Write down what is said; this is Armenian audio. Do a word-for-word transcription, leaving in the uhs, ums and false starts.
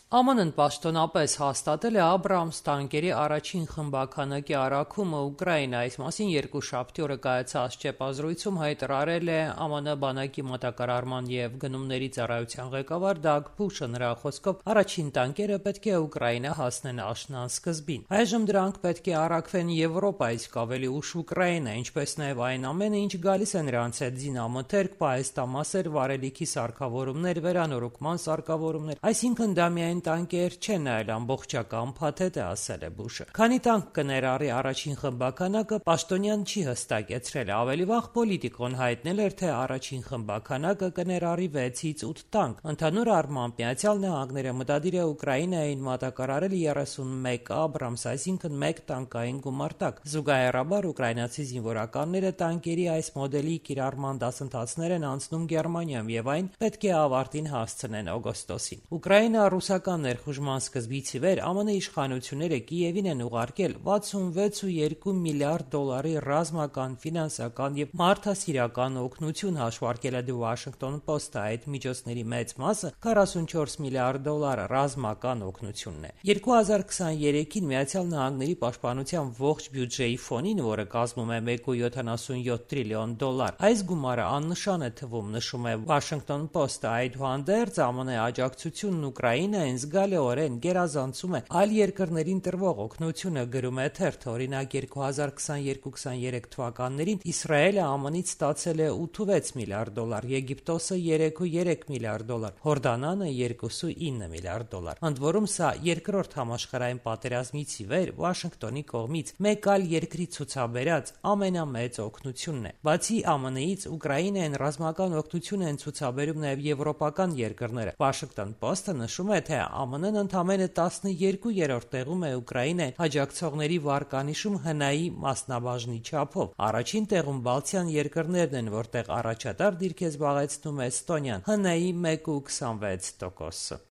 Է Մ Ն-ն պաշտոնապես հաստատել է Աբրամս տանկերի առաջին խմբաքանակի առաքումը Ուկրաինա: Այս մասին երկուշաբթի օրը կայացած ճեպազրույցում հայտարարել է Է Մ Ն բանակի մատակարարման և գնումների ծառայության ղեկավար Դագ Բուշը: Նրա խոսքով, առաջին տանկերը պետք է Ուկրաինա հասնեն աշնան սկզբին: Այժմ դրանք պետք է առաքվեն Եվրոպա, իսկ ավելի ուշ Ուկրաինա, ինչպես նաև այն ամենը, ինչ գալիս է նրանց հետ՝ զինամթերք, պահեստամասեր, վառելիքի սարքավորումներ, վերանորոգման սարքավորումներ: Այսինքն դա միայն տանկեր չեն, այլ ամբողջական փաթեթ է, ասել է Բուշը: Քանի տանկ կներառի առաջին խմբաքանակը, պաշտոնյան չի հստակեցրել: Ավելի վաղ Պոլիտիկոն հայտնել էր, թե առաջին խմբաքանակը կներառի վեցից ութ տանկ: Ընդհանուր առմամբ ԱՄՆ-ը մտադիր է Ուկրաինային մատակարարել երեսունմեկ Աբրամս, այսինքն մեկ տանկային գումարտակ: Զուգահեռաբար ուկրաինացի զինվորականները տանկերի այս մոդելի կիրառման դասընթացներ են անցնում Գերմանիայում և այն պետք է ավարտին հասցնեն օգոստոսին: Ուկրաինա-ռուսական ներխուժման սկզբից ի վեր Է Մ Ն իշխանությունները Կիևին են ուղարկել վաթսունվեց կόμμα երկու միլիարդ դոլարի ռազմական, ֆինանսական և մարդասիրական օգնություն, հաշվարկել է The Washington Post-ը: Այդ միջոցների մեծ մասը՝ քառասունչորս միլիարդ դոլար, ռազմական օգնությունն է: երկու հազար քսաներեքին ԱՄՆ պաշտպանության ողջ բյուջեի ֆոնին, որը կազմում է մեկ կόμma յոթանասունյոթ տրիլիոն դոլար, այս գումարը աննշան է թվում, նշում է Washington Post-ը: Այդուհանդերձ Է Մ Ն աջակցությունն Ուկրաինային զգալիորեն գերազանցում է այլ երկրներին տրվող օգնությունը, գրում է թերթը: Օրինակ, երկու հազար քսաներկու քսաներեք թվականներին Իսրայելը Է Մ Ն-ից ստացել է ութսունվեց միլիարդ դոլար, Եգիպտոսը՝ երեք կόμma երեք միլիարդ դոլար, Հորդանանը՝ երկու կόμma ինը միլիարդ դոլար: Ընդ որում, սա երկրորդ համաշխարհային պատերազմից ի վեր Վաշինգտոնի կողմից մեկ այլ երկրի ցուցաբերած ամենամեծ օգնությունն է: Բացի Է Մ Ն-ից, Ուկրաինային ռազմական օգնություն են ցուցաբերում նաև եվրոպական երկրները: Washington Post-ը նշում է, թե Է Մ Ն-ն ընդամենը տասներկուերորդ տեղում է Ուկրաինային աջակցողների վարկանիշում հնայի մասնաբաժնի չափով: Առաջին տեղում բալթյան երկրներն են, որտեղ առաջատար դիրք է զբաղեցնում Էստոնիան՝ հնայի մեկ կόμma քսանվեց տոկոսը: